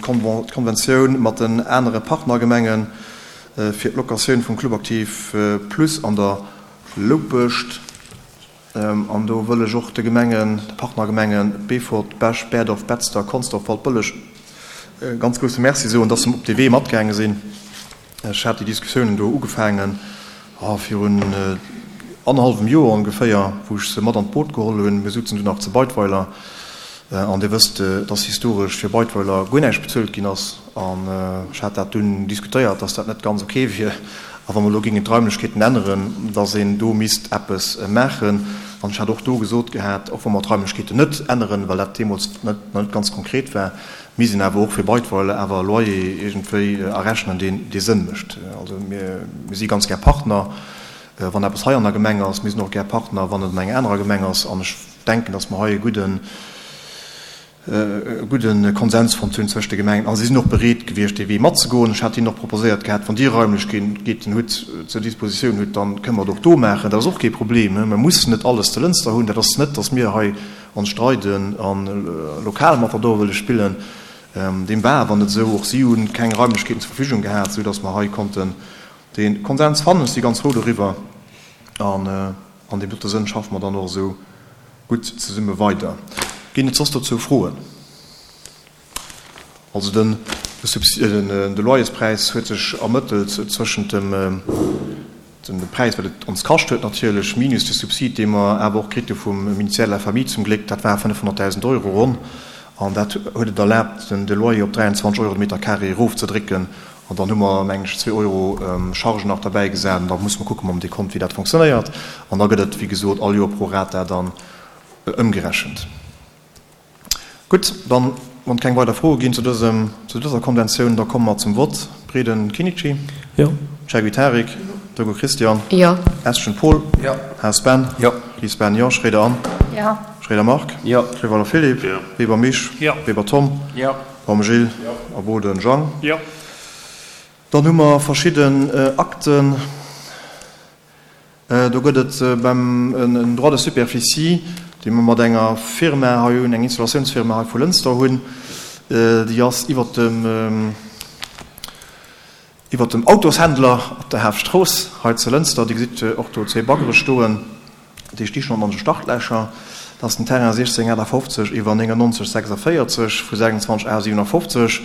d'Konventioun mat den anere Partnergemenge fir d'Locatioun vum Club Aktiv Plus an der Loupescht. An do wëll ech och de Gemengen, de Partnergemenge Beefort, Bech, Berdorf, Betzder, Consdorf, Waldbëlleg e ganz grousse Merci soen, dass se op dee Wee matgaange sinn. Ech hat déi Diskussiounen do ugefaangen virun annerhallwem Joer ongeféier, wou ech se mat an d'Boot geholl hunn. Mir souzen du nach zu Beidweiler. An Dir wësst, dass historesch fir Beidweiler guer näischt bezuelt ginn ass. An ech hat dat dunn diskutéiert, dass dat net ganz ok wier. A wa mer elo géingen d'Raimlechkeeten änneren, dass een do misst eppes maachen. An ech hat och do gesot gehat, och wa mer d'Raimlechkeeten net änneren, well dat deemools net nach net ganz konkret war, misst een awer och fir Beidweiler awer e Loyer iergendwéi errechnen, deen dee Sënn mécht. Also mir si ganz gär Partner, wann eppes hei an der Gemeng ass. Mir sinn och gär Partner, wann et an enger anerer Gemeng ass. An ech denken, dass mer hei e gudden, e gudde Konsens fonnt hunn zwëscht de Gemengen a si sinn och bereet gewiescht dee Wee matzegoen. Ech hat hinnen och proposéiert gehat, wann Dir Raimlechkeeten hutt, zur Dispositioun hutt, dann kënne mer et och do maachen. Dat ass och kee Problem. Mer mussen net alles zu Lënster hunn. Dat ass net, datt mir hei ons streiden a lokal Matador wëlle spillen. Deem war awer net esou. Och si hu keng Raimlechkeeten zur Verfügung gehat, esou datt mer hei konnten dee Konsens fannen. Ech si ganz frou doriwwer an an deem dote Sënn schaffe mer dann och esou gutt zesumme weider. Ginn et soss dozou Froen? Also den de Loyerspräis huet sech ermëttelt zwëschent dem dem Präis, wat et ons kascht huet natierlech, minus de Subsid, dee mer awer och kritt hu vum Ministère de la Famille zum Gléck, dat war 500.000 Euro ronn, an dat huet et erlaabt, den de Loyer op 23 Euro de Meter carré erofzedrécken. An dann hu mer, mengen ech, zwee Euro Charge nach derbäi gesat. An da musse mer kucke mam Dekont, wéi dat fonctionnéiert. An da gëtt et, wéi gesot, all Joer pro rata dann ëmgerechent. Gutt, dann, wann et keng weider Froe ginn zu dësem, zu dëser Konventioun, da komme mer zum Vott. Breden Kinnici. Jo. Chergui Tarik. Jo. Doggo Christian. Jo. Eschen Paul. Jo. Haas Ben. Jo. Ries Ben, jo. Schroeder Anne. Jo. Schroeder Marc. Jo. Riweiler Philippe. Jo. Weber Misch. Jo. Weber Tom. Jo. Baum Gilles. A Boden Jang. Jo. Dann hu mer verschidden Akten. Do gëtt et beim en Droit de superficie, dee mer mat enger Firma hei hunn, eng Installatiounsfirma hei vu Lënster hunn. Déi ass iwwert dem, iwwert dem Autoshändler op der Haaptstrooss hei zu Lënster. Dir gesitt och do zwee Baggere stoen. Déi sti schonn an de Startlächer. Dat ass den Terrain 1658 iwwer 99 46 vu 26 A 57.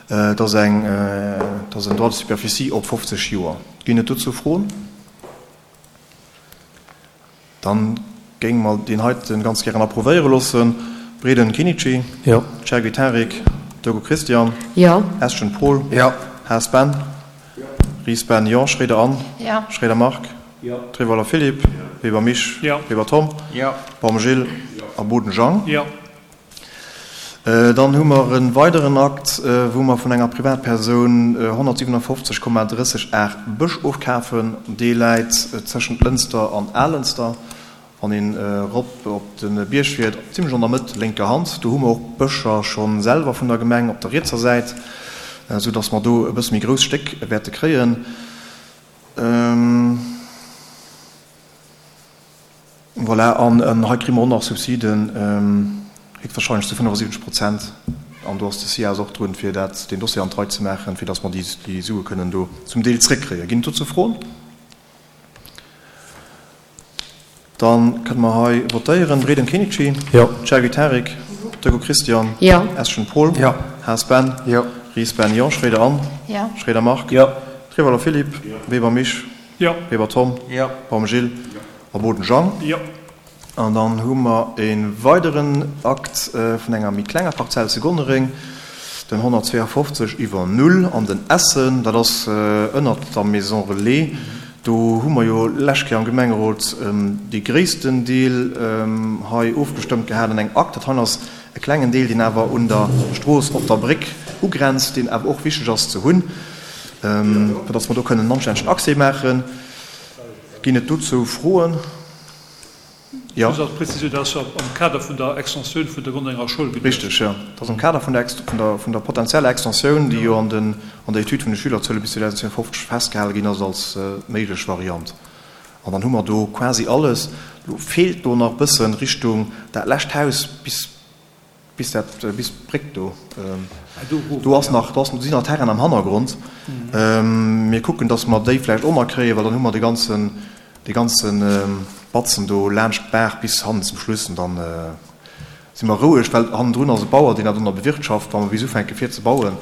Dat ass eng, dat ass en Droit de superficie op 50 Joer. Ginn et dozou Froen? Dann géinge mer deen heiten ganz gären approuvéiere loossen. Breden Kinnici. Jo. Chergui Tarik. Doggo Christian. Jo. Eschen Paul. Jo. Haas Ben. Jo. Ries Ben, jo. Schroeder Anne. Jo. Schroeder Marc. Jo. Treweiler Philippe. Jo. Weber Misch. Jo. Weber Tom. Jo. Baum Gilles. Jo. A Boden Jang. Jo. Dann hu mer e weideren Akt, wou mer vun enger Privatpersoun 157,30 Ar Bësch ofkafen. Dee läit tëschent Lënster an Alënster. Wann een erop op de Bierg fiert, zimlech an der Mëtt, lénker Hand, do hu mer och Bëscher scho selwer vun der Gemeng op der rietser Säit, esou datt mer do e bësse méi grouss Stéck wäerte kréien. Voilà, an hei kréie mer och nach Subsiden, héchstwahrscheinlech zu 75 Prozent. An do ass de SIAS och drun, fir dat, deen Dossier an d'Rei ze maachen, fir datt mer déi Sue kënnen do zum Deel zréckkréien. Ginn et dozou Froen? Da kënne mer hei votéieren. Breden Kinnici. Jo. Chergui Tarik. Doggo Christian. Jo. Eschen Paul. Jo. Haas Ben. Jo. Ries Ben, jo. Schroeder Anne. Jo. Schroeder Marc. Jo. Treweiler Philippe. Jo. Weber Misch. Jo. Weber Tom. Jo. Baum Gilles. Jo. A Boden Jang. Jo. An dann hu mer e weideren Akt vun enger méi klenger Parzell zu Gonnereng, den 152 iwwer Null an den Essen. Dat ass ënnert der Maison Relais. Do hu mer jo lescht Kéier am Gemengerot dee gréissten Deel hei ofgestëmmt gehat an engem Akt. Dat hei ass e klengen Deel, deen awer un der Strooss op der Bréck ugrenzt, deen awer och wichteg ass ze hunn, fir datt mer do kënnen en anstännegen Accès maachen. Ginn et dozou Froen? Jo. Just als Prezisioun, dat ass jo am Kader vun der Extensioun vun der Gonnerenger Schoul geduecht. Richteg, jo. Dat ass am Kader vun der, vun der, vun der potenzieller Extensioun, déi jo an den, an der Etüd vun de Schülerzuele bis 2052 festgehale ginn ass als méiglech Variant. An dann hu mer do quasi alles. Elo feelt do nach e bëssen Richtung dat lescht Haus bis. Bis dat, bis d'Bréck do, do ass nach, do sinn nach Terrainen am Hannergrond. Mir kucken, datt mer déi vläicht och nach kréien, well dann hu mer de ganzen, dee ganze Batzen do laanscht d'Baach bis hannen zum Schluss an dann si mer roueg, well hannendrun ass e Bauer, deen dat och nach bewirtschaft. Wa mer bis ufänke fir ze bauen,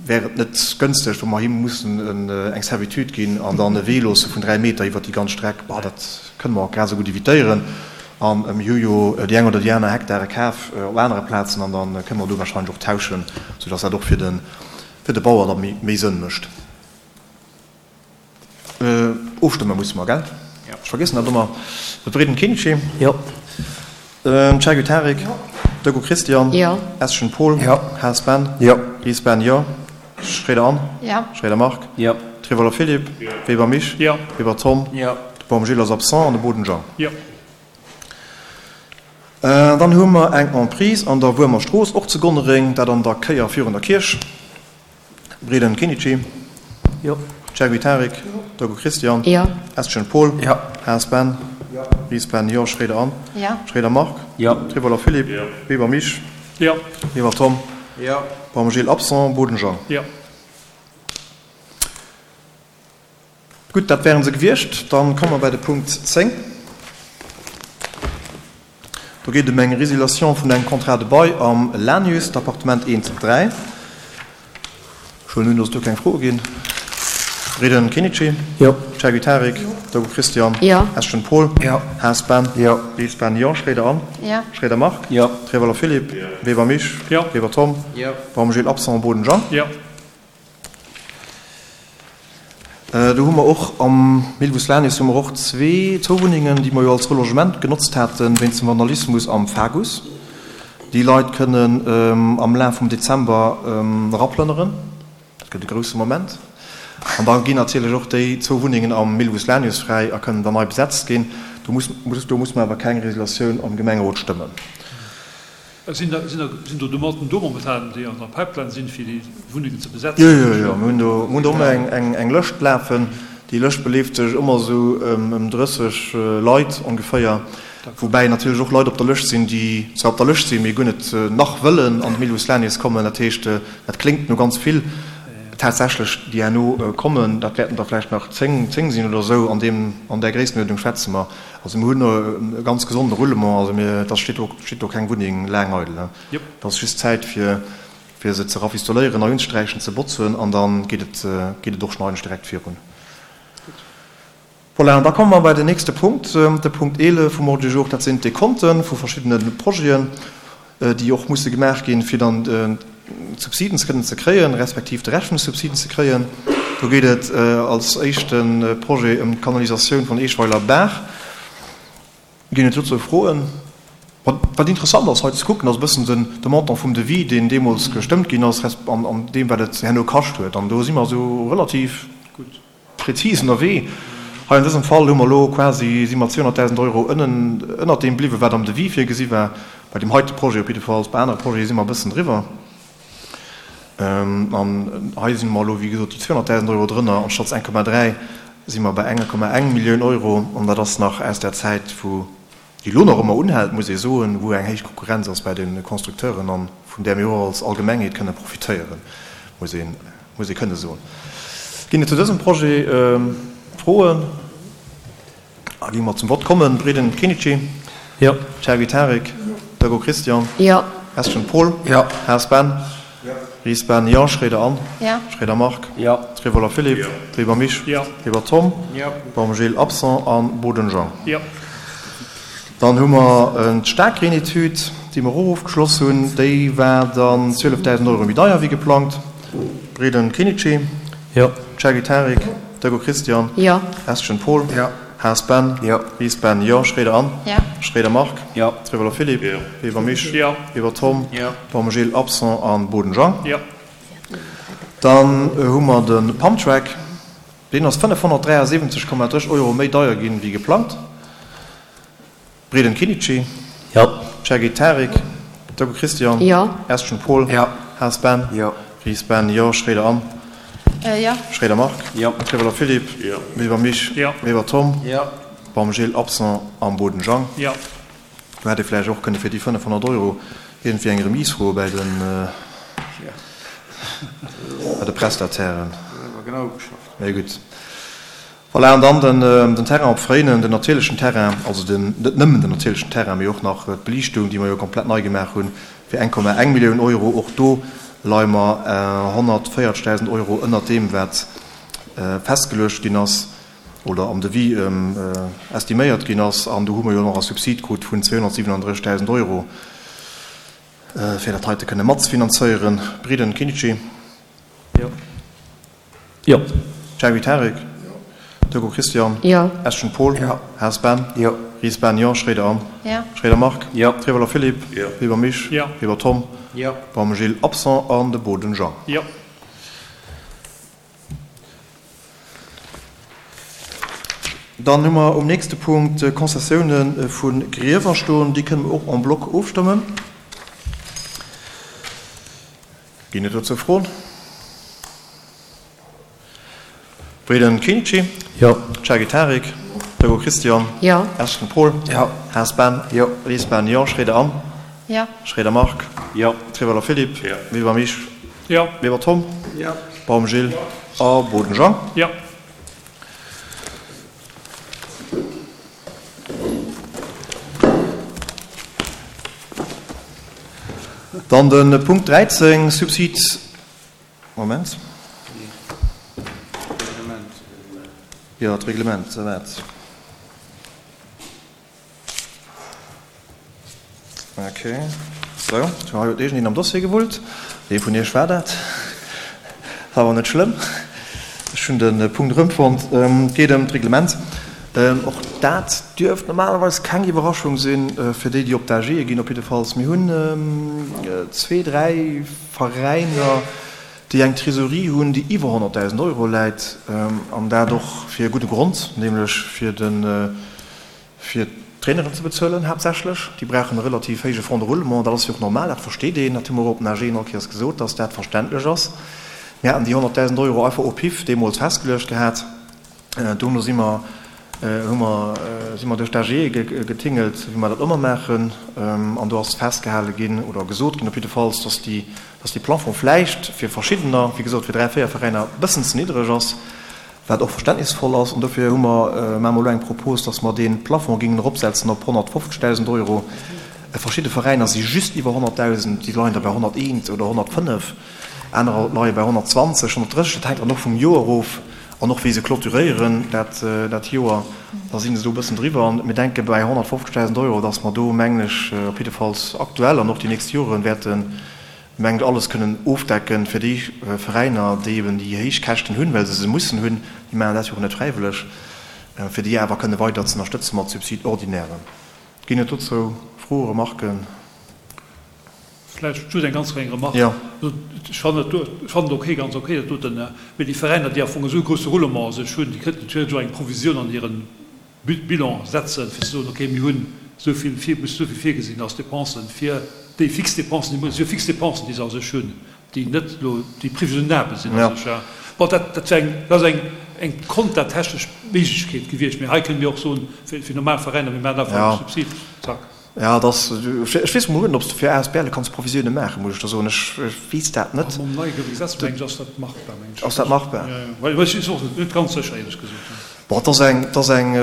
wär et net gënsteg, wa mer him mussen eng Servitude ginn an dann e Wee loosse vun 3 Meter iwwert déi ganz Streck. Bah, dat kënne mer och grad esou gutt evitéieren. A mir hu jo déi eng oder déi aner Hektare kaf op anere Plazen an da kënne mer do wahrscheinlech och tauschen, soudass dat och fir de, fir de Bauer da méi Sënn mécht. Ofstëmme musse mer, gell? Ech vergiessen dat ëmmer. Breden Kenichi? Jo. Chergui Tarik? Jo. Deco Christian? Jo. Eschen Paul? Jo. Haas Ben? Jo. Ries Ben? Jo. Schréider Anne? Jo. Schréider Marc? Jo. Trivaler Philippe? Jo. Weber Mich? Jo. Weber Tom? Jo. De Baum Gilles ass absent an de Boden Jean? Jo. Dann hu mer eng Emprise an der Wuermer Strooss, och zu Gonnereng, dat an der Kéier virun der Kierch. Breden Kenichi. Jo. Chergui Tarik. Jo. Dogo Christian. Jo. Eschen Paul. Jo. Haas Ben. Jo. Ries Ben, jo. Schréider Anne. Jo. Schréider Marc. Jo. Trivoller Philippe. Jo. Weber Mich. Jo. Weber Tom. Jo. Baum Gilles absent, Boden Jean. Jo. Gutt, dat wären se gewiescht. Dann komme mer bei de Punkt 10. Do geet et ëm eng Résiliation vun engem Contrat de bail am Lanius, d'Appartement 1, 3. Ech huelen un, dass et do keng Froe ginn. Breden Kenichi? Jo. Chergui Tarik? Jo. Dogo Christian? Jo. Eschen Paul? Jo. Haas Ben? Jo. Ries Ben? Jo. Schréider Anne? Jo. Schréider Marc? Jo. Trevoller Philippe? Jo. Weber Mich? Jo. Weber Tom? Jo. Baum Gilles absent, Boden Jean? Jo. Do hu mer och am Milvus Lanius hu mer och zwee, zwou Wunnengen, déi mer jo als Relogement genotzt haten wéinst dem Vandalismus am Fagus. Déi Leit kënnen am Laf vum Dezember eraplënneren. Dat gëtt e grousse Moment. An da ginn natierlech och déi zwou Wunnengen am Milvus Lanius fräi a kënnen dann nei besetzt ginn. Do muss, do muss mer awer keng Résoluatioun am Gemengerot stëmmen. Sinn do Demanden do momentan, déi an der Pipeline sinn, fir déi Wunnengen ze besetzen? Jo, jo, jo. Mir hunn do, mir hunn do ëmmer eng, eng Lëscht lafen. Déi Lëscht beleeft sech ëmmer esou ëm 30 Leit ongeféier. Woubäi natierlech och Leit op der Lëscht sinn, déi zwar op der Lëscht sinn, mee guer net nach wëllen an de Milvus Lanius kommen. Dat heescht, dat kléngt no ganz vill. Tatsächlech, déi herno kommen, dat wäerten der vläicht nach 10, 10 sinn oder esou. An deem, an där Gréissenuerdnung schwätze mer. Also mir hunn e ganz gesonde Roulement, also mir, da steet do, steet do keng Wunneng laang eidel. Et ass just Zäit fir, fir se ze rafistoléieren, nei unzesträichen, ze botzen an da geet et, geet et och schonn eigentlech direkt virun. Voilà, an da komme mer bei den nächste Punkt, de Punkt 11 vum Ordre du jour, dat sinn d'Dekonte vu verschiddene Projeten. déi och musse gemaach ginn, fir dann d'Subsiden ze kënnen ze kréien, respektiv de Rescht vun de Subsiden ze kréien. Do geet et als éischte Projet ëm d'Kanalisatioun vun Eeschweiler Baach. Ginn et dozou Froen? Wat interessant ass hei ze kucken, ass e bëssen den de Montant vum Devis, deen deemools gestëmmt ginn ass, resp. An deem, wat et herno kascht huet. An do si mer esou relativ gutt. Prezis ënnerwee. Hei an dësem Fall hu mer elo quasi, si mer 200.000 Euro ënnen, ënnert deem bliwwen, wat am Devis virgesi war, bei deem heite Projet op jiddefalls. Bei anere Projete si mer e bëssen driwwer. An hei si mer elo, wéi gesot, déi 200.000 Euro drënner, anstatt 1,3 si mer bei 1,1 Millioun Euro. An dat ass nach aus der Zäit, wou déi elo nach ëmmer unhält, muss ee soen, wou eng héich Konkurrenz ass bei de Constructeuren an vun där mir och als Allgemengheet kënne profitéieren, muss ee, muss ee kënne soen. Ginn et zu dësem Projet Froen? A gi mer zum Vott kommen. Breden Kenichi? Jo. Chergui Tarik? Jo. Dego Christian? Jo. Eschen Paul? Jo. Haas Ben? Jo. Ries Ben? Jo. Schréider Anne? Jo. Schréider Marc? Jo. Trevoller Philippe? Jo. Weber Mich? Jo. Weber Tom? Jo. Baum Gilles, absent, an Boden Jean? Jo. Dann hu mer d'Staarkreen-Etüd, déi mer och ofgeschloss hunn. Déi war dann 12.000 Euro méi deier wéi geplangt. Breden Kenichi? Jo. Chergui Tarik? Jo. Dego Christian? Jo. Eschen Paul? Jo. Haas Ben? Jo. Ries Ben? Jo. Schréider Anne? Jo. Schréider Marc? Jo. Trevoller Philippe? Jo. Weber Mich? Jo. Weber Tom? Jo. Baum Gilles, absent, an Boden Jean? Jo. Dann hu mer de Pumptrack. Deen ass 573,3 Euro méi deier ginn wéi geplangt. Breden Kenichi. Jo. Chergui Tarik. Deco Christian. Jo. Eschen Paul. Jo. Haas Ben. Jo. Ries Ben. Jo. Schréider Anne. Jo. Schréider Marc. Jo. Trevoller Philippe. Jo. Weber Mich. Jo. Weber Tom. Jo. Baum Gilles, absent, Am Boden Jang. Jo. Do hätt ee vläicht och kënne fir déi 500 Euro. Iergendwéi eng Remise froe bäi de bei de Prestatairen. Mee gutt. Voilà, an dann den Terrain op Fréinen, den natierlechen Terrain, also den, net nëmmen den natierlechen Terrain, mee och nach d'Beliichtung, déi mer jo komplett nei gemaach hunn, fir 1,1 Millioun Euro. Och do leie mer 140.000 Euro ënnert deem, wat festgeluecht ginn ass oder am Devis estiméiert ginn ass. An do hu mer jo nach e Subsid krut vun 237.000 Euro, fir dat heite kënne matzefinanzéieren. Briden Kinitschi. Jo. Jo. Cherry Tarik? Jo. Turko Christian? Jo. Eschen Paul? Jo. Haas Ben? Jo. Ries Ben? Jo. Schroeder Anne? Jo. Schroeder Marc? Jo. Trieweler Philippe? Jo. Weber Misch? Jo. Weber Tom? Jo. Baum Gilles, absent, an de Boden Jean. Jo. Dann hu mer um nächste Punkt d'Konzessiounen vu Griewer stoen. Déi kënne mer och en bloc ofstëmmen. Ginn et dozou Froen? Breden Kenichi? Jo. Chagi Tarik? Togo Christian? Jo. Ashton Paul? Jo. Haas Ben? Jo. Ries Ben? Jo. Schroeder Anne? Jo. Schroeder Marc? Jo. Trieweler Philippe? Jo. Weber Misch? Jo. Weber Tom? Jo. Baum Gilles? A Boden Jean? Jo. Dann de Punkt 13, Subsid, Moment. Jo, d'Reglement, wat? Ok, sou, do huet iergendeen am Dossier gewullt. Wee vun iech war dat? Ass awer net schlëmm, ech hunn de Punkt erëmfonnt. Et geet ëm d'Reglement. Och dat dierft normalerweis keng Iwwerraschung sinn fir déi, déi op d'AGe ginn. Op jiddefalls, mir hunn zwee, dräi Veräiner, déi eng Trésorerie hunn, déi iwwer 100.000 Euro läit, an dat och fir e gudde Grond, nämlech fir de fir d'Traineren ze bezuelen haaptsächlech. Déi brauchen e relativ héije Fonds de roulement. Dat ass jo och normal, dat versteet een. Dat hu mer och op den AGen all Kéiers gesot, dass dat verständlech ass. Mir haten déi 100.000 Euro einfach au pif deemools festgeluecht gehat. Dono si mer, hu mer, si mer duerch d'AGe getingelt, wéi mer dat ëmmer maachen. An do ass festgehale ginn oder gesot ginn op jiddefalls, dass déi, dass dee Plafond vläicht fir verschiddener, wéi gesot fir dräi, véier Veräiner, e bëssen ze niddreg ass. Wat och verständnisvoll ass. An dofir hu mer, maache mer elo eng Propos, dass mer dee Plafond géingen eropsetzen op 150.000 Euro. Verschidde Veräiner si just iwwer 100.000, déi leien da bei 101 oder 105, anerer leie bei 120, 130. Dat hänkt dann och vum Joer erof an och wéi se clôturéieren dat, dat Joer. Da si se do e bëssen driwwer. An mir denke bei 150.000 Euro, dass mer do, mengen ech, op jiddefalls aktuell an och déi nächst Jore wäerten mengt alles kënnen ofdecken fir déi Veräiner, déi eben déi héich Käschten hunn, well se se mussen hunn, déi maachen dat jo och net fräiwëlleg, fir déi awer kënne weider ze ënnerstëtze mat Subside-ordinairen. Ginn et dozou Froen, Remarken? Vläicht just eng ganz kleng Remarque. Jo. Ech fannen et do, ech fannen et ok, ganz ok, dat doten, mee déi Veräiner, déi am Fong esou e grousse Roulement a sech hunn, déi kënnten theoretesch och eng Provisioun an hiren Bilan setzen, fir ze soen, okay, mir hunn esou vill, mussen esou vill virgesinn als Dépensen fir déi fix Dépensen, déi si jo fix Dépensen, déi se a sech hunn, déi net elo, déi prévisionnabel sinn a sech. Bon, dat, dat wär eng, dat ass eng, eng kontatechnesch Méiglechkeet gewiescht. Mee hei kënne mir och soen, fir, fir normal Veräiner, mir maachen einfach e Subsid, zack. Jo, et ass, ech weess mol net, ob s de fir ASBLe kanns Provisioune maachen, muss ech der soen. Ech weess dat net. Mam neie Gesetz, mengen ech, ass dat machbar, mengen ech. Ass dat machbar? Jo, jo. Well ech sinn och net ganz sécher, éierlech gesot. Bon, et ass eng, et ass eng,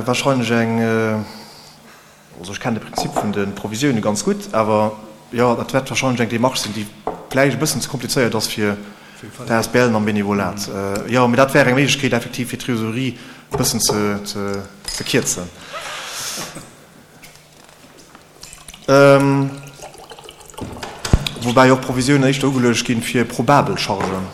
wahrscheinlech eng, also ech kennen de Prinzip vun de Provisioune ganz gutt, awer jo, dat wäert wahrscheinlech eng Démarche sinn, déi vläicht e bëssen ze komplizéiert ass fir d'ASBLen am Benevolat. Jo, mee dat wär eng Méiglechkeet effektiv fir d'Trésorerie e bëssen ze, ze, ze kierzen. Woubäi och Provisiounen éischter ugeluecht ginn fir probabel Chargen.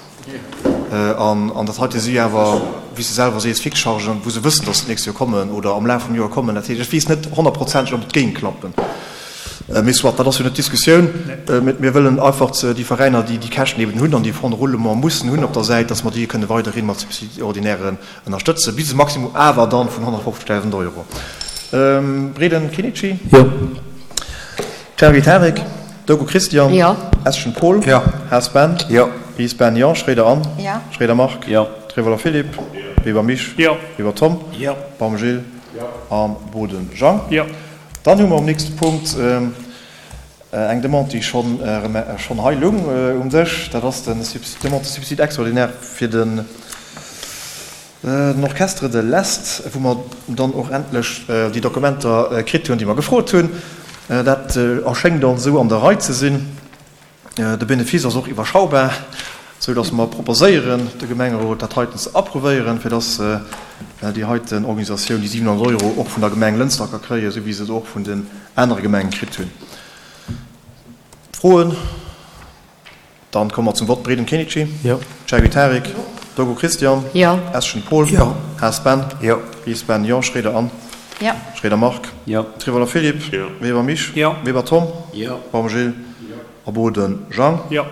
An dat heite si awer, wéi s de selwer sees, fix Chargen, wou se wëssen, datt se d'nächst Joer kommen oder am Laf vum Joer kommen. Dat heescht, ech weess net honnertprozenteg, ob et géing klappen. Mee soit, dat ass jo net d'Diskussioun. Mir wëllen einfach déi Veräiner, déi déi Käschten eben hunn an déi Fonds de roulement mussen hunn op der Säit, datt mer déi kënne weiderhi mat Subside ordinairen Ënnerstëtze bis e Maximum awer dann vun 150.000 Euro. Breden Kenichi. Jo. Cherry Tarik. Dogo Christian. Jo. Eschen Paul. Jo. Haas Ben. Jo. Ries Ben, jo. Schroeder Anne. Jo. Schroeder Marc. Jo. Trevoller Philippe. Jo. Weber Misch. Jo. Weber Tom. Jo. Baum Gilles. Jo. A Boden Jean. Jo. Dann hu mer um nächste Punkt. Eng Demande, déi schonn schonn hei lung um Dësch, dat ass den Demande de subside extraordinaire fir den Orchestre de l'Est, wou mer dann och endlech déi Dokumenter kritt hunn, déi mer gefrot hunn. Dat erschéngt ons esou an der Rei ze sinn. De Benefice ass och iwwerschaubar, sou dass mer proposéieren, de Gemengerot dat heiten ze approuvéieren, fir dass déi heiten Organisatioun déi 700 Euro och vun der Gemeng Lënster ka kréien, sou wéi se se och vun den anere Gemenge kritt hunn. Froen? Dann komme mer zum Vott. Breden Kenichi? Jo. Cherry Tarik? Jo. Dogo Christian? Jo. Eschen Paul? Jo. Haas Ben? Jo. Ries Ben? Jo. Schroeder Anne? Jo. Schroeder Marc? Jo. Trivoller Philippe? Jo. Weber Mich? Jo. Weber Tom? Jo. Baum Gilles? Jo. A Boden Jean? Jo.